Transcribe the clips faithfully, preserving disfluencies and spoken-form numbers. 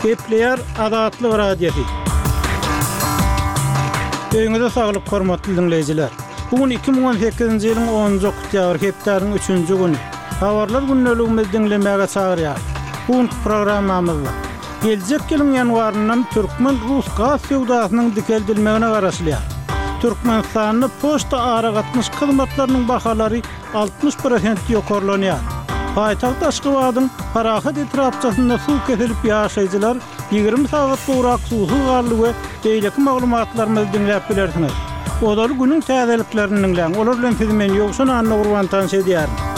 Gepleýär Azatlyk Radiosy. Öýüňize saglyk hormatly dinleýjiler. Bu gün iki müň on sekizinji ýylyň onunjy oktýabr hepdäniň üçünji güni. Habarlar gündeligimizi diňlemäge çagyrýar. Bu günki programmamyzda geljek ýylyň ýanwaryndan türkmen-rus gaz söwdasynyň dikeldilmegine garaşylýar. Türkmenistanda poçta aragatnaşyk hyzmatlarynyň bahalary altmyş prosent ýokarlanýar. Paýtagt Aşgabadyň Parahat etrapçasynda suw kesilip ýaşaýjylar ýigrimi sagat gowrak suwsuz galdy we beýleki maglumatlarymyzy diňläp bilersiňiz. Ozaly günüň täzeliklerini diňläň. Olar bilen sizi men Ýowşan Annagurban tanyş edýärin.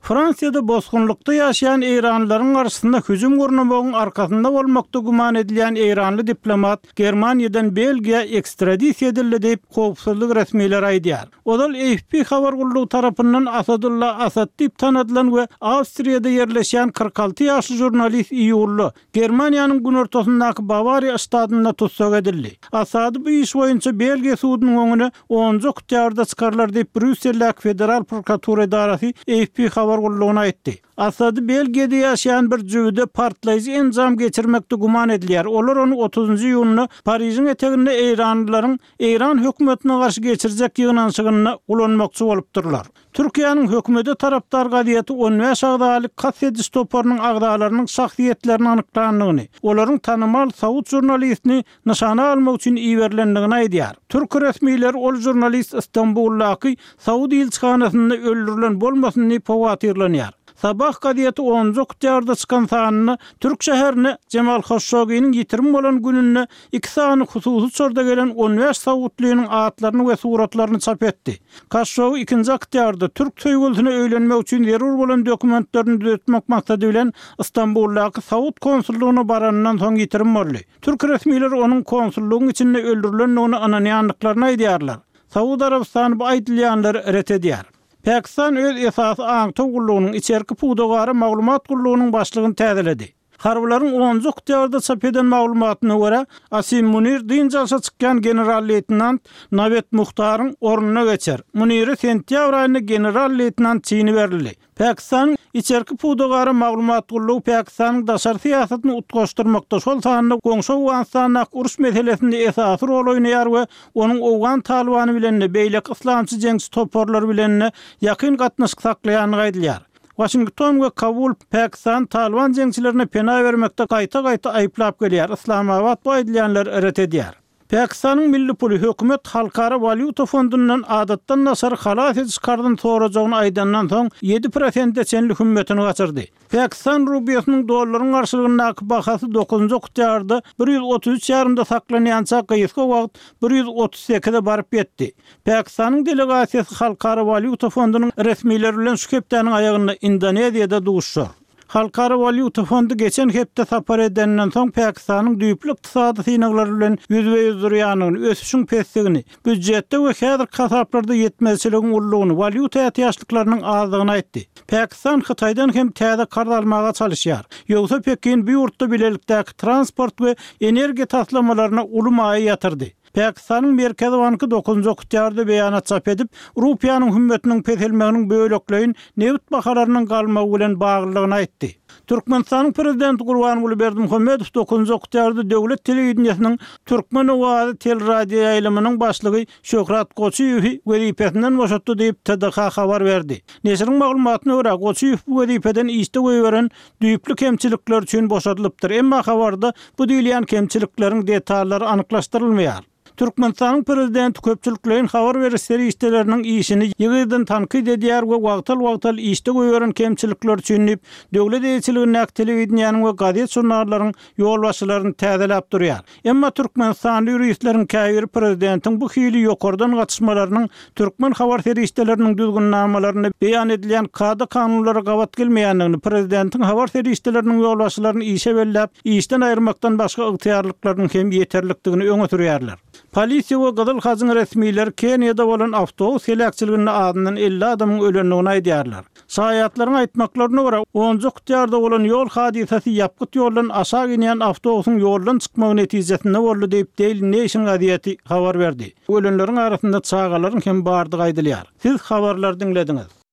Fransiýada bosgunlykda ýaşaýan Eýranlylaryň garşysynda hüjüm gurnamagyň arkasynda bolmakda güman edilýän Eýranly diplomat Germaniýadan Belgiýa ekstradisiýa edildi diýip howpsuzlyk resmileri aýdýar. Ozal A F P habar gullugy tarapyndan Asadullah Asad diýip tanadylan we Awstriýada ýerleşýän kyrk alty ýaşly žurnalist iýulda Germaniýanyň günortasyndaky Bawariýa ştatynda tussag edildi. Asady bu iş boýunça Belgiýa sudunyň öňüne onunjy oktýabrda çykarlar diýip Brýusseldäki Federal prokuratura edarasy A F P habar gullugyna aýtdy. Asady Belgiýada ýaşaýan bir jübüde partlaýjy enjam geçirmekde güman edilýär. Olar ony otuzunjy iýunda Parižiň eteginde Eýranlylaryň Eýran hökümetine garşy geçirjek ýygnanyşygynda ulanmakçy bolupdyrlar. Türkiýäniň hökümete tarapdar gazeti on bäş agzaly kast ediş toparynyň agzalarynyň şahsyýetlerini anyklandygyny, olaryň tanymal saud žurnalistini nyşana almak üçin iberilendigini aýdýar. Türk resmileri ol žurnalist Istanbuldaky Saud ilçihanasynda öldürilen bolmasyn diýip howatyrlanýar. Sabah gazeti onunjy oktýabrda çykan sanynda Türk şäherine Cemal Khashoggi'niň ýitirim bolan gününde iki sany hususy uçarda gelen on bäş saudlynyň atlaryny we suratlaryny çap etdi. Khashoggi ikinji oktýabrda Türk söýgülisine öýlenmek üçin zerur bolan dokumentlerini düzetmek maksady bilen Istanbuldaky Saud konsullugyna baranyndan soň ýitirim boldy. Türk resmileri onuň konsullugyň içinde öldürilendigini ynanýandyklaryny aýdýarlar. Saud Arabystany bu aýdylýanlary ret edýär. Pakistan öz esasy aňtaw gullugynyň içerki pudagara maglumat gullugynyň başlygyny täzeledi. Harbylaryň onunjy oktýabrda çap eden maglumatyna görä, Asim Munir dynç alşa çykýan general-leýtenant Nawet Muhtaryň ornuna geçer. Muniri sentýabr aýynda general-leýtenant çini berildi. Pakistanyň içerki pudagara maglumat gullugy Pakistanyň daşary syýasatyny utgaşdyrmakda, şol sanda goňşy Owganystandaky uruş meselesinde esasy rol oýnaýar we onuň Owgan Talibany bilen de beýleki yslamçy jeňçi toparlary bilen de ýakyn gatnaşyk saklaýandygy aýdylýar. Washington we Kabul Pakistan Taliban jeňçilerine pena bermekde gaýta-gaýta aýyplap gelýär. Islamabad bu aýdylýanlary ret edýär. Pakistanyň milli puly hökümet Halkara walýuta fondundan adatdan daşary halas ediş karzyny sorajagyny aýdandan soň ýedi prosente çenli hümmetini gaçyrdy. Pakistan rubiýasynyň dollaryň garşylygyndaky bahasy dokuzunjy oktýabrda bir ýüz otuz üç ýarymda saklanýança gysga wagt bir ýüz otuz sekize baryp ýetdi. Pakistanyň delegasiýasy Halkara walýuta fondunyň resmileri bilen şu hepdäniň aýagynda Indoneziýada duşuşar. Halkara walýuta fondy geçen hepde sapar edenden soň Pakistanyň düýpli ykdysady synaglary bilen ýüzbe-ýüz durýandygyny, ösüşiň pesligini, býujetde we häzirki hasaplarda ýetmezçiligiň ululygyny, walýuta ätiýaçlyklarynyň azlygyny aýtdy. Pakistan Hytaýdan hem täze karz almaga çalışýar. Ýogsa Pekin bu ýurtda bilelikdäki transport we energiýa taslamalaryna uly maýa ýatyrdy. Pakistanyň Merkezi banky dokuzunjy oktýabrda beýanat çap edip, rupiýanyň hümmetiniň peselmeginiň bölekleýin nebit bahalarynyň galmagy bilen baglylygyny aýtdy. Türkmenistanyň prezidenti Gurbanguly Berdimuhamedow dokuzunjy oktýabrda döwlet telewideniýesiniň Türkmen owazy teleradio ýaýlymynyň başlygy Şöhrat Goçyýewi wezipesinden boşatdy diýip T D H habar berdi. Neşiriň maglumatyna görä, Goçyýew bu wezipeden işde goýberen düýpli kemçilikler üçin boşadylypdyr. Emma habarda bu diýilýän kemçilikleriň detallary anyklaşdyrylmaýar. Türkmenistanyň prezidenti köpçülikleýin habar beriş serişdeleriniň işini ýygydan tankyt edýär we wagtal-wagtal işde goýberen kemçilikler üçin diýip, döwlet eýeçiligindäki telewideniýäniň we gazet žurnallaryň ýolbaşçylaryny täzeläp durýar. Emma Türkmenistanly ýuristleriň käbiri prezidentiň bu hili ýokardan gatyşmalarynyň türkmen habar serişdeleriniň düzgünnamalaryny beýan edilýän kada kanunlara gabat gelmeýändigini, prezidentiň habar serişdeleriniň ýolbaşçylaryny işe belläp, işden aýyrmakdan başga ygtyýarlyklarynyň hem ýeterlikdigini öňe sürýärler. Polisiýa we Gyzyl Hajyň resmileri Keniýada bolan awtobus heläkçiliginde azyndan elli adamyň ölendigini aýdýarlar. Şaýatlaryň aýtmaklaryna görä, onunjy oktýabrda bolan ýol hadysasy ýapgyt ýoldan aşak inýän awtobusyň ýoldan çykmagy netijesinde boldy diýip Daily Nation gazeti habar berdi. Ölenleriň arasynda çagalaryň hem bardygy aýdylýar. Siz habarlary diňlediňiz.